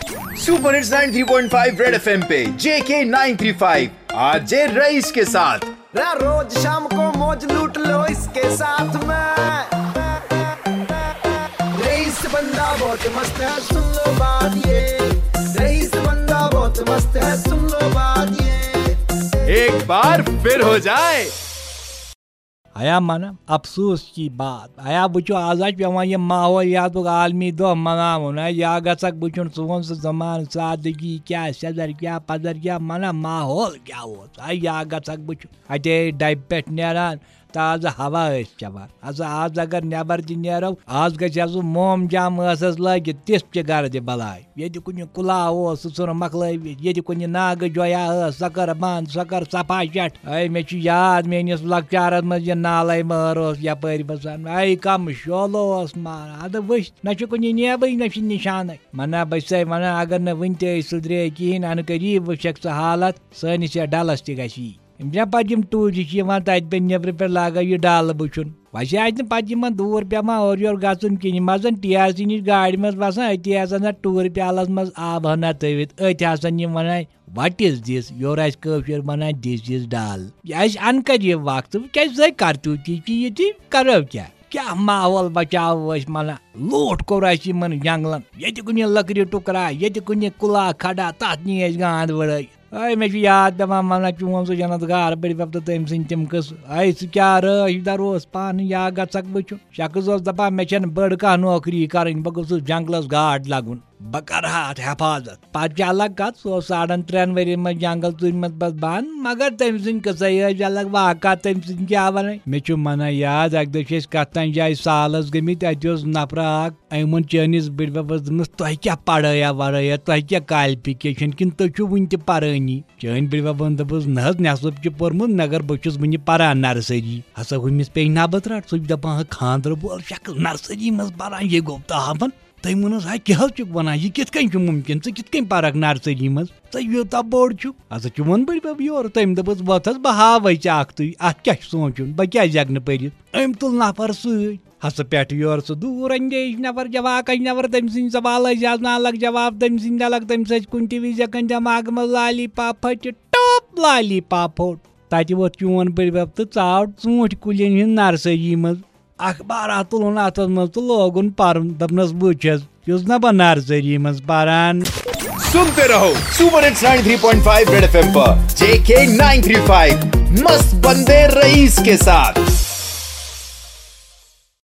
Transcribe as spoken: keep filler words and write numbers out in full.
Super hits ninety three point five red FM पे JK nine three five RJ Raees के साथ। रा रोज शाम को मौज लूट लो इसके साथ में। रईस बंदा बहुत मस्त है, सुन लो बात ये। रईस बंदा बहुत मस्त है, सुन लो बात ये। एक बार फिर हो जाए। ہیا منہ افسوس کی بات۔ ہیا وٕچھِو، آز حظ چھُ پٮ۪وان یہِ ماحولیاتُک عالمی دۄہ مناوُن۔ ہے یا گژھکھ بہٕ چھُن، سون سُہ زمانہٕ، سادگی کیٛاہ، سیٚدر کیٛاہ، پدر کیٛاہ، منہ ماحول کیٛاہ اوس۔ ہے یا گژھکھ بہٕ چھُن، اتے ڈبہِ پٮ۪ٹھ نیران، تازٕ ہوا ٲسۍ چٮ۪وان۔ ہسا آز اگر نٮ۪بر تہِ نیرو، آز گژھِ ہا سُہ موم جام ٲسس لٲگِتھ، تِژھ تہِ گردِ بلاے۔ ییٚتہِ کُنہِ کُلا اوس، سُہ ژھُنُن مۄکلٲوِتھ۔ ییٚتہِ کُنہِ ناگہٕ جویا ٲس، سۄ کٔر بنٛد، سۄ کٔر صفا شٹھ۔ اے، مےٚ چھُ یاد، میٲنِس لۄکچارس منٛز یہِ نالے مٲر اوس یپٲرۍ وسان۔ اے، کم شولہٕ اوس ماران۔ ادٕ وٕچھ، نہ چھُ کُنہِ نیبٕے، نہ چھُ نشانٕے۔ منہ بہٕ چھسے ونان، اگر نہٕ وٕنہِ تہِ أسۍ سُدرے کِہیٖنۍ، انہٕ قریب وٕچھکھ ژٕ حالت، سٲنِس یتھ ڈلس تہِ گژھِ یی۔ یِم چھِنہ پتہٕ یِم ٹوٗرِسٹ چھِ یِوان تتہِ پٮ۪ٹھ نیبرٕ پٮ۪ٹھ لاگان یہِ ڈل وٕچھُن۔ ویسے آسہِ نہٕ پتہٕ یِمن دوٗر پٮ۪وان اورٕ یورٕ گژھُن کِہیٖنۍ۔ یِم آسان ٹی آر سی نِش گاڑِ منٛز وسان، أتی آسان اتھ ٹوٗرِ پیالس منٛز آبہٕ ہنا تٔوِتھ۔ أتھۍ آسان یِم ونان، "What is this؟" یورٕ آسہِ کٲشُر ونان، "This is ڈل۔" یہِ آسہِ انکر یہِ وقت، وۄنۍ کیٛازِ زٲے کرتو تہِ کہِ یہِ تہِ کرو کیٛاہ؟ کیٛاہ ماحول بچاوو أسۍ منہ؟ لوٗٹھ کوٚر اَسہِ یِمن جنگلن۔ ییٚتہِ کُنہِ لٔکرِ ٹُکرا، ییٚتہِ کُنہِ کُلا کھڑا، تتھ نی اَسہِ گانٛد وٕڑٲے۔ اے، مےٚ چھُ یاد پٮ۪وان ونان، چون سُہ جنت گار بٔڑِ بب تہٕ تٔمۍ سٕنٛدۍ تِم قٕصہٕ۔ اے، سُہ کیٛاہ رٲچھ در اوس پانہٕ، یا گژھکھ بہٕ چھُن۔ شخص اوس دپان، مےٚ چھَنہٕ بٔڑ کانٛہہ نوکری کرٕنۍ، بہٕ گوٚژھُس جنگلس گاڈ لگُن۔ بہٕ کرٕ ہا اتھ حفاظت۔ پتہٕ چھِ الگ کتھ، سُہ اوس ساڑن ترٛٮ۪ن ؤرین منٛز جنگل ژوٗرِ منٛز پتہٕ بنٛد، مگر تٔمۍ سٕنٛدۍ قٕصے ٲسۍ الگ، واقعہ تٔمۍ سٕنٛدۍ کیٛاہ ونٕنۍ۔ مےٚ چھُ منہ یاد، اکہِ دۄہ چھِ أسۍ کتھ تام جایہِ سالس گٔمٕتۍ، اتہِ اوس نفرا اکھ، أمۍ ووٚن چٲنِس بٕڈببس دوٚپنس، "تۄہہِ کیٛاہ پڑھٲیا وڑھٲیا، تۄہہِ کیٛاہ qualification، کِنہٕ تُہۍ چھِو وُنہِ تہِ پرٲنی؟" چٲنۍ بٕڈببن دوٚپُس، "نہ حظ، مےٚ ہسا چھُ پوٚرمُت، مگر بہٕ چھُس وُنہِ پران nursery۔" ہسا ہُمِس پیٚیہِ نبہٕ ترٛٹھ، سُہ چھُ دپان، "ہا، خانٛدرٕ وول شکل nursery منٛز پران، یہِ گوٚو تاون؟" تٔمۍ ووٚنُس، "ہا، کیٛاہ حظ چھُکھ وَنان؟ یہِ کِتھ کٔنۍ چھُ مُمکِن؟ ژٕ کِتھ کٔنۍ پَرَکھ nursery منٛز؟ ژٕ یوٗتاہ بوٚڑ چھُکھ۔" ہسا چون بٕڈبَب یورٕ۔ تٔمۍ دوٚپُس، "وۄتھ حظ، بہٕ ہاوَے ژےٚ اَکھتُے، اَتھ کیٛاہ چھُ سونٛچُن؟ بہٕ کیٛازِ ہٮ۪کہٕ نہٕ پٔرِتھ؟" أمۍ تُل نفر سۭتۍ۔ ہسا پٮ۪ٹھٕ یورٕ سُہ دوٗر اندیش نفر، جواک اندیش نفر، تٔمۍ سٕنٛدۍ سوال ٲسۍ زیادٕ نالَک جواب، تٔمۍ سٕنٛدۍ نالَک، تٔمِس ٲسۍ کُنہِ تہِ وِزِ ہٮ۪کان دٮ۪ماغہٕ منٛز lollipop پھٔٹِتھ، ٹوپ lollipop پھوٚٹ۔ تَتہِ ووٚتھ چون بٕڈبَب تہٕ ژاو ژوٗنٛٹھۍ کُلٮ۪ن ہٕنٛز nursery منٛز۔ اخبارات تُلُن اَتھَس منٛز تہٕ لوگُن پَرُن۔ دوٚپنَس، "وٕچھ حظ، یُس نہ بہٕ nursery منٛز پَران۔" सुनते रहो super hits ninety three point five red FM पर जेके नाइन थ्री फ़ाइव, मस्त बंदे रईस के साथ।